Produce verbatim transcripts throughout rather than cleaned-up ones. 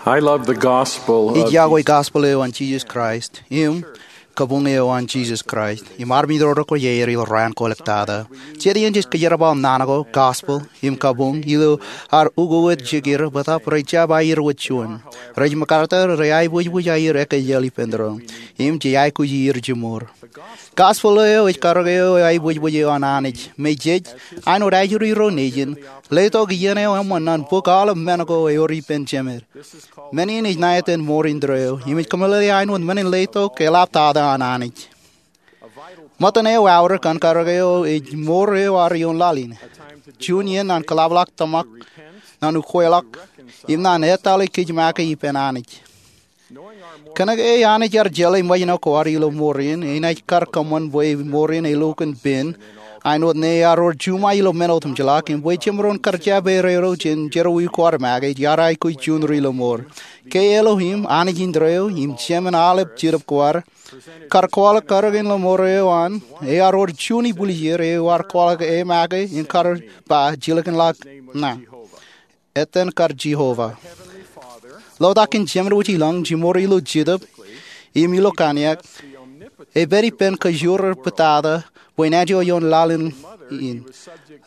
I love the gospel of Ij iakwe gospel eo an Jesus Christ im kabuñ eo an Jesus Christ im armej ro rekwōj aer ilo raan kwōlōktata. Jet iien jej kōjerbal naan ko gospel im kabuñ ilo ad ukokot jikier bōtab rej jab aier wōt juon. Rej MacArthur rej aebwejbwej aier ekkejel ippān doon im jej aikuj ier jimor. Gospel eo ej karōk eo aebwejbwej eo an Anij me jej, āinwōt ajri ro nejin, letok iien eo eṃṃan ñan bok aolep men ko ewōr ippān Jemed. Men in ej ṇa etan mour indeeo im ej kōmeḷeḷe āinwōt men in letok eḷaptata an Anij. Ṃōttan eo aorōk an karōk eo ej mour eo ad ioon laḷ in. Juon iien ñan kōḷapḷọk tōmak, ñan ukweḷọk, im ñan etale kōj make ippān Anij. Kōnke Anij ear jeḷā ṃōjṇọ ko ad ilo mour in, enaaj kar kōṃṃan bwe mour in elukkuun pen, āinwōt ñe ear wōr juṃae ilo men otemjeḷọk, im bwe jemaroñ kar jab erreo jān jerọwiwi ko ad make, ej ad aikuj juon ri lọmọọr. Ke Elohim, Anij indeeo, im Jemed aolep jetōb ko ad, kar kwaḷọk karōk in lọmọọr eo an, ear wōr juon ibwiljir eo ear kwaḷọk e make im kar ba jilkinḷọk ña. Etan kar Jehovah. Lotak in Jemed wōj ilọñ, jimor ilo jetōb im ilo kaniak, epād ippān kōjro rej pād tata bwe enaaj ioon laḷ in.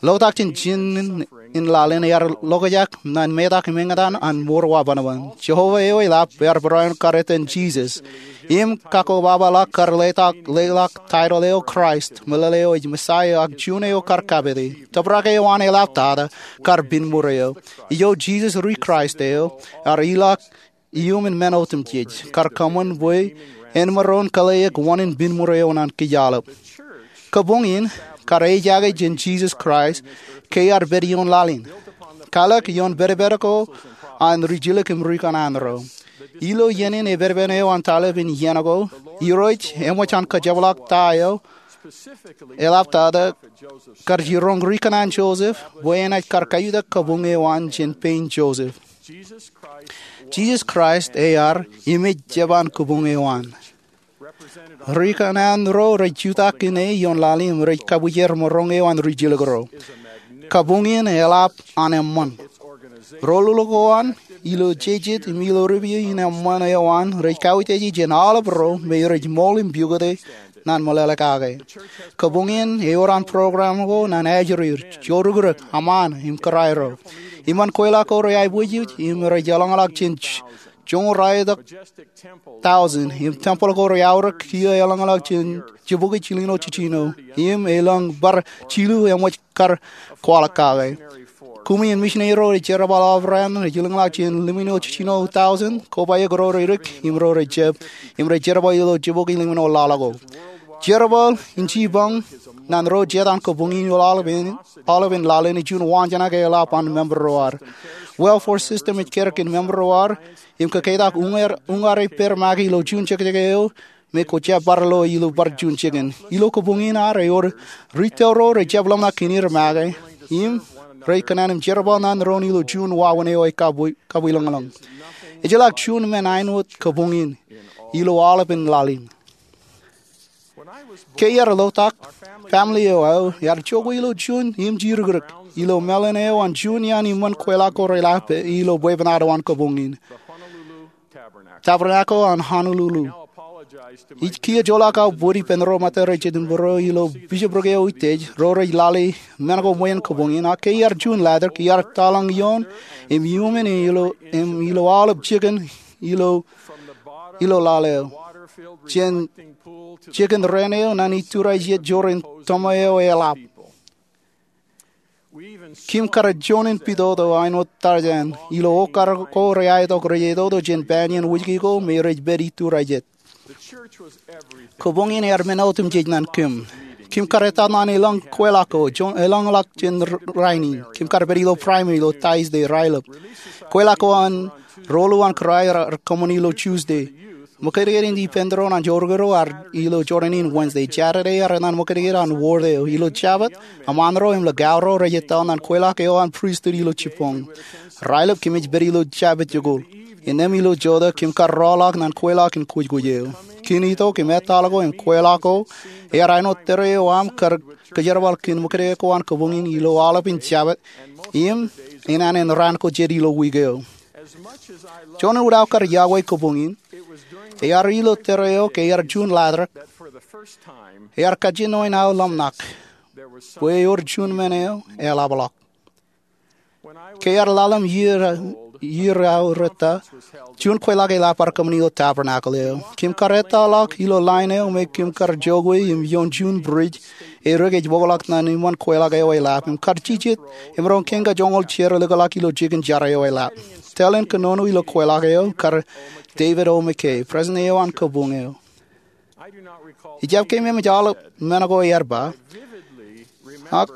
Lotak jān jinen laḷ in ear ḷokjak ñan metak im eñtaan an mour wabanban. Jehovah eo eḷap ear barāinwōt kar etan Jesus. Im kakkobaba ḷọk kar leḷọk, leḷọk title eo Kraist, meḷeḷe eo ej Messiah ak juon eo kar kapete. Tōprak eo an eḷaptata kar pinmuur eo. Ijo Jesus ri Kraist eo, ear ilọk iuṃwin men otemjej, kar kōṃṃan bwe en maroñ kōḷḷāik wōnin pinmuur eo ñan kōj aolep. Kabuñ in kar ejaake jān Jesus Christ ke ear pād ioon laḷ in. Kalōk ioon pedped ko an rijilōk im rikōṇaan ro. Ilo iien in epedped eo an taḷap in iien ko, Irooj eṃōj an kajepḷaak ta eo eḷaptata kar jiroñ rikōṇaan Joseph bwe enaaj kar kajutak kabuñ eo an jān pein Joseph. Jesus Christ ear im ej jeban kabuñ eo an. Rikōṇaan ro rej jutak kōn e ioon laḷ in im rej kabwijer maroñ eo an rijilōk ro. Kabuñ in eḷap an eṃṃan. Ro lolok ko an, ilo jejet im ilo ripio in eṃṃan eo an, rej kautiej jān aolep ro me rej ṃool im pukot e ñan meḷeḷe kake. Kabuñ in ewōr an program ko ñan ajri, jorukrak, aṃaan, im kōrā ro. Iṃaan kweilọk ko rej aebwejbej im rej eḷañḷọk jān joñoul ralitōk thousand, im tempeḷ ko rej aorōk kiiō eḷañḷọk jān jibukwi jilñuul jiljino, im elōñ bar jilu eṃōj kar kwaḷọk kake. Kumi in misineri ro rej jerbal aorōk rej eḷañḷọk jān limñuul jiljino thousand, kobaik ro rej dik, im ro rej jab, im rej jerbal ilo jibukwi limñuul ḷọk ko. Jerbal in jipañ ñan ro jet an kabuñ in ilo aolepen, aolepen laḷ in ej juon waanjoñak eḷap an member ro ad. Welfare system ej karōk kōn member ro ad, im kōketak uñar, uñar ippāer make ilo juon jekjek eo, me kwō jab bar lo ilo bar juon jikin. Ilo kabuñ in ad ewōr ri tōl ro rej jab ḷōmṇak kōn er make, im rej kōṇaan im jerbal ñan doon ilo juon wāween eo ekabwi, kabwilōñlōñ. Ejjeḷọk juon men āinwōt kabuñ in ilo aolepen laḷ in. Ke iar lotak, family eo aō ear jokwe ilo juon imjirikrik ilo meḷan eo an juon iaan iṃōn kweilọk ko reḷap ilo bwebwenato an kabuñ in. Tabernacle an Honolulu. Ij kiiō joḷọk aō bōd ippān ro ṃōttan ro rej jet im būruō ilo bishopric eo utiej, ro rej lale men ko ṃweien kabuñ in, ak ke iar juon ḷadik, iar taḷañ ioon, im iuṃwin ilo, im ilo aolep jikin, ilo, ilo laḷ eo. Jān jikin raan eo ñan iturajet joor in tōma eo eḷap. Kim kar juon in pitoto āinwōt Tarzan, ilo okar ko rej aetok rej etoto jān pān iien wōjke ko me rej pād iturajet. Kabuñ in ear men otemjej ñan kim. Kim kar etal ñan elōñ kweilọk ko, joñan elōñḷọk jān r-, rainin. Kim kar pād ilo primary ilo Thursday raelep. Kweilọk ko an Roḷu an Kūrae ear kōṃṃan ilo Tuesday. Ṃōkajdik in ippān doon an jorrāān ro ear ilo jorrāān in Wednesday. Saturday ear etal ṃōkajdik an ward eo. Ilo Jabōt, aṃaan ro im likao ro rej etal ñan kweilọk eo an pristut ilo jibboñ. Raelep kōmij pād ilo Jabōt jikuuḷ. Innām ilo jota kōm kar rọọlḷọk ñan kweilọk in kwōjkwōj eo. Kōn itok im etal ko im kweilọk ko, ear āinwōt tōre eo aṃ kar kōjerbal kōn ṃōkajdik ko an kabuñ in ilo aolepen Jabōt, im enana in raan ko jet ilo wiik eo. Juon in uḷaak kar iọkwe kabuñ in, ear ilo tōre eo ke ear juon ḷatrōk, ear kajjien ṇe in aō ḷōmṇak bwe ewōr juon men eo eḷapḷọk. Ke ear ḷalem iiō ro eo rōta, juon kweilọk eḷap bar kōṃṃan ilo Tabernacle eo. Kōm kar ettōḷọk ilo line eo me kōm kar jokwe im ioon juon bridge, e ri-kōj bōkḷọk ṇan iṃōn kweilọk eo eḷap im kar jijet emaroñ kein kajoñoul jer likḷọk ilo jikin jar eo eḷap. Tōl in kōnono ilo kweilọk eo kar David O. McKay, president eo an kabuñ eo. Ijjab keememej aolep men ko ear ba, ak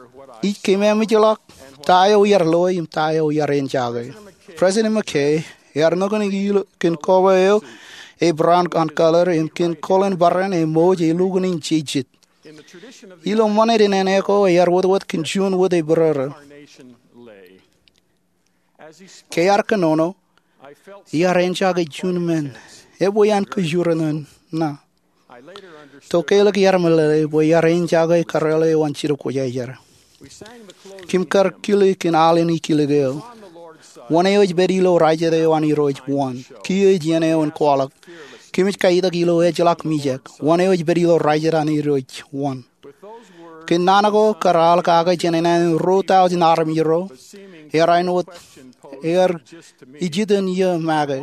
ij keememejḷọk ta eo iar loe im ta eo iar enjake. President McKay ear nukun ilo kōn koba eo e brown an color im kōn koḷan bōran e ṃōj e lukkuun in jijet. Ilo ṃanit in āne ko ear wōtwōt kōn juon wōt e bōrōrō. Ke ear kōnono, iar enjake juon men ebwe an kōjur ṇe ṇa. Tokālik iar meḷeḷe bwe iar enjake kōrā eo an Jetōb Kwōjarjar. Kōm kar kile kōn al in ikilek eo, Wōn eo ej pād ilo rajet eo an Irooj wōn? Kiiō ej iien eo in kwaḷọk. Kōmij kaitak ilo ejjeḷọk mijak, Wōn eo ej pād ilo rajet an Irooj wōn? Kōn naan ko kar al kake jān āne in ruo tọujin armej ro, ear āinwōt, ear ijiten iiō make.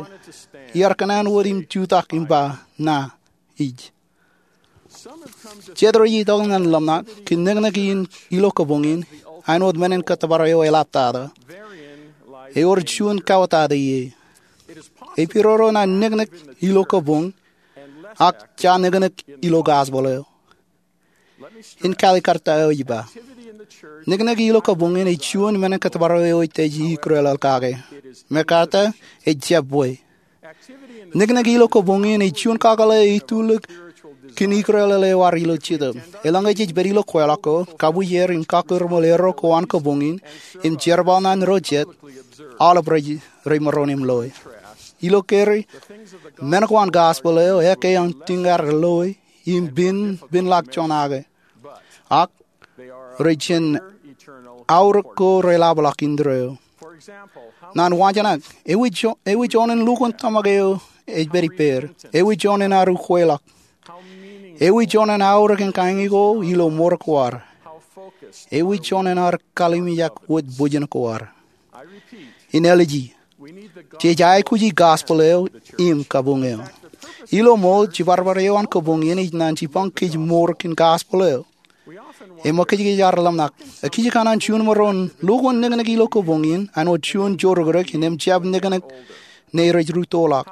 Iar kōṇaan wōt im jutak im ba, ṇa ij. Jet rej itok ñan ḷōmṇak kōn niknik in ilo kabuñ in, āinwōt men in kōttōpar eo eḷaptata. Ewōr juon kauwōtata ie. Epidodo ñan niknik ilo kabuñ, ak ja niknik ilo gospel eo. In kalikkar ta eo ij ba. Niknik ilo kabuñ in ej juon men in kōttōpar eo ej ikrelel kake. MacArthur, ej jab bwe. Niknik ilo kabuñ in ej juon kakōḷḷe eo itulik kōn ikrelel eo ad ilo Jetōb. Eḷaññe jej pād ilo kweilọk ko, kabwijer im kakūrmol erro ko an kabuñ in, im jerbal ṇe ro jet, aolep rej, rej maroñ im loe. Ilo kōrā, men ko an gospel eo ekkā an tiñar loe im pen, penḷọk juon ake. Ak rej jān aorōk ko reḷapḷọk indeeo. Ñan waajnak, ewi jo-, ewi juon in lukkuun tōmak eo ej pād ippāer? Ewi juon in aru kweilọk? Ewi juon in aorōk in kañi ko ilo mour ko ad? Ewi juon in ad kalimjek wōt bwijin ko ad? In āliji, jej aikuji gospel eo im kabuñ eo. Ilo ṃool, jibadbad eo an kabuñ in ej ñan jipañ kōj mour kōn gospel eo. Eṃōkajkōj ad ḷōmṇak. Ekijkana juon maroñ lukkuun niknik ilo kabuñ in, āinwōt juon joorōkrōk, innām jab niknik ṇe rej rūttoḷọk.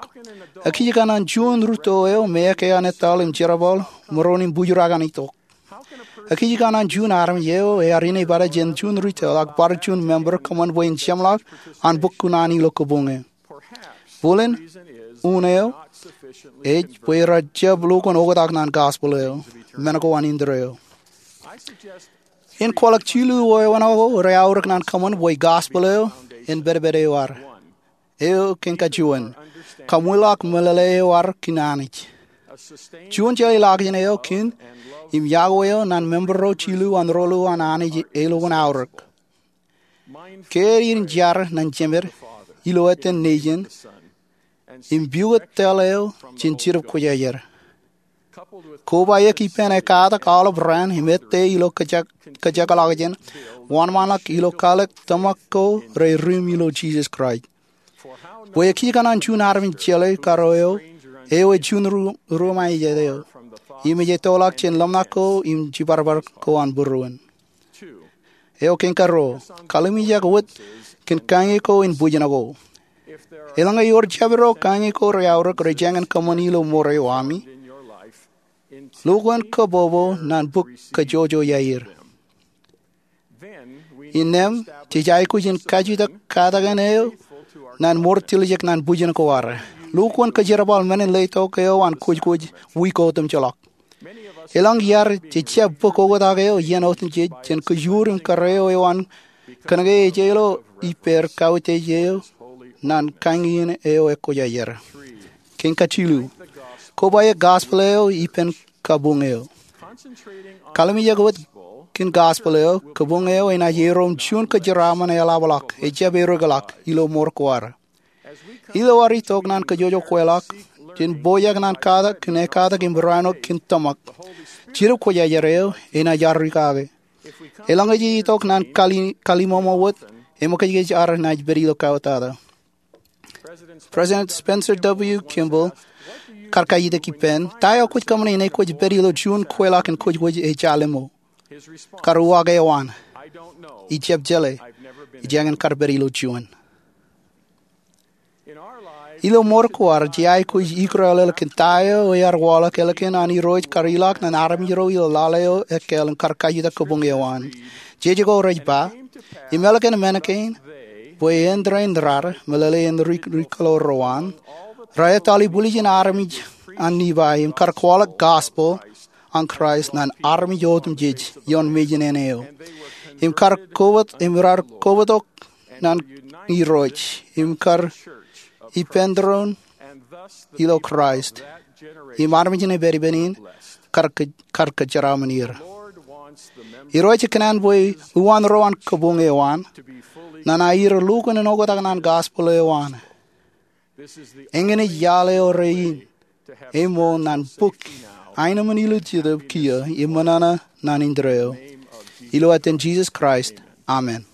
Ekijkana juon rūtto eo me ekkā an etal im jerbal maroñ im bwijurake an itok. Ekijkana juon armej eo ear inepata jān juon rūtto ak bar juon member kōṃṃan bwe en jeṃḷọk an bōk kuṇaan ilo kabuñ eo. Bōlen, unin eo, ej bwe rej jab lukkuun oktak ñan gospel eo, men ko an indeeo. In kwaḷọk jilu wāween ko rej aorōk ñan kōṃṃan bwe gospel eo en pedped eo ad. Eo kein kajuon, kaṃwilaḷọk meḷeḷe eo ad kōn Anij. Juon jeḷā ḷọkjeṇ eo kōn im yokwe eo ñan member ro jilu an ro ḷu an Anij elukkuun aorōk. Ke ear in jar ñan Jemed ilo eten Nejin, im pukot tōl eo jān Jetōb Kwōjarjar, kobaik ippān ekkatak aolep raan im ettā ilo kōjak, kōjekḷọkjeṇ, wōnṃaanḷọk ilo kwaḷọk tōmak ko rej ri im ilo Jisōs Kraist. Bwe ekijkana juon armej jeḷā kōrā eo, eo ej juon ru-, ruo ṃae jet eo, im ej ettoḷọk jān ḷōmṇak ko im jibadbad ko an būruon. Eo kein karuo, kalimjek wōt kōn kañi ko in bwijin ko. Eḷaññe ewōr jabdewōt kañi ko rej aorōk rej jañin kōṃṃani ilo mour eo ami, lukkuun kabbokbok ñan bōk kōjojoi aer. Innām, jej aikuj in kajutak katakin eo ñan mour tiljek ñan bwijin ko ad. Lukkuun kōjerbal men in letok eo an kwōjkwōj wiik otemjeḷọk. Elōñ iaad jej jab bōk oktak eo iien otemjej jān kōjur im kōrā eo an kōnke ejjeḷọk ippāer kautiej eo ñan kañin eo ekwōjarjar. Kein kajilu, kobaik gospel eo ippān kabuñ eo. Kalimjek wōt kōn gospel eo, kabuñ eo enaaj erom juon kōjeraaṃṃan eḷapḷọk, ejjab ereḷọk ilo mour ko ad. Ilo ad itok ñan kajjojo kweilọk jān pojak ñan katak kōn ekatak im rāinwōt kōn tōmak, Jetōb Kwōjarjar eo enaaj arri kake. Eḷaññe jej itok ñan kallimōṃo wōt, eṃōkajkōj ad naaj pād ilo kautata. President Spencer W. Kimball kar kajjitōk ippān, Ta eo kwōj kōṃṃane ñe kwōj pād ilo juon kweilọk in kwōj wōj ejālimo? Kar uwaak eo an, Ij jab jeḷā. Ij jañin kar pād ilo juon. Ilo mour ko ad, jej aikuj ikūrālō kōn ta eo ear waḷọk ālikin an Irooj kar ilọk ñan armej ro ilo lale eo ekkāāl im kar kajjitōk kabuñ eo an. Jejko rej ba, Im ālikin men kein, bwe āindein rad, meḷeḷe in ri kōḷaḷ ro an, rej ettoḷọk bwiljin armej an Nifai im kar kwaḷọk gospel an Kraist ñan armej otemjej ioon mejān eo, im kar kobatok ñan Irooj, im kar ippān tōre in ilo Kraist, im armej ṇe pād ippān in kar kōjeraaṃṃan er. Irooj ekōṇaan bwe uwaan ro an kabuñ eo an ñan aer lukkuun oktak ñan gospel eo an. Eñin ej iaḷ eo rein eṃool ñan bōk aenōṃṃan ilo jetōb kiiō im ṃōṇōṇō ñan indeeo. Ilo etan Jisōs Kraist, amen.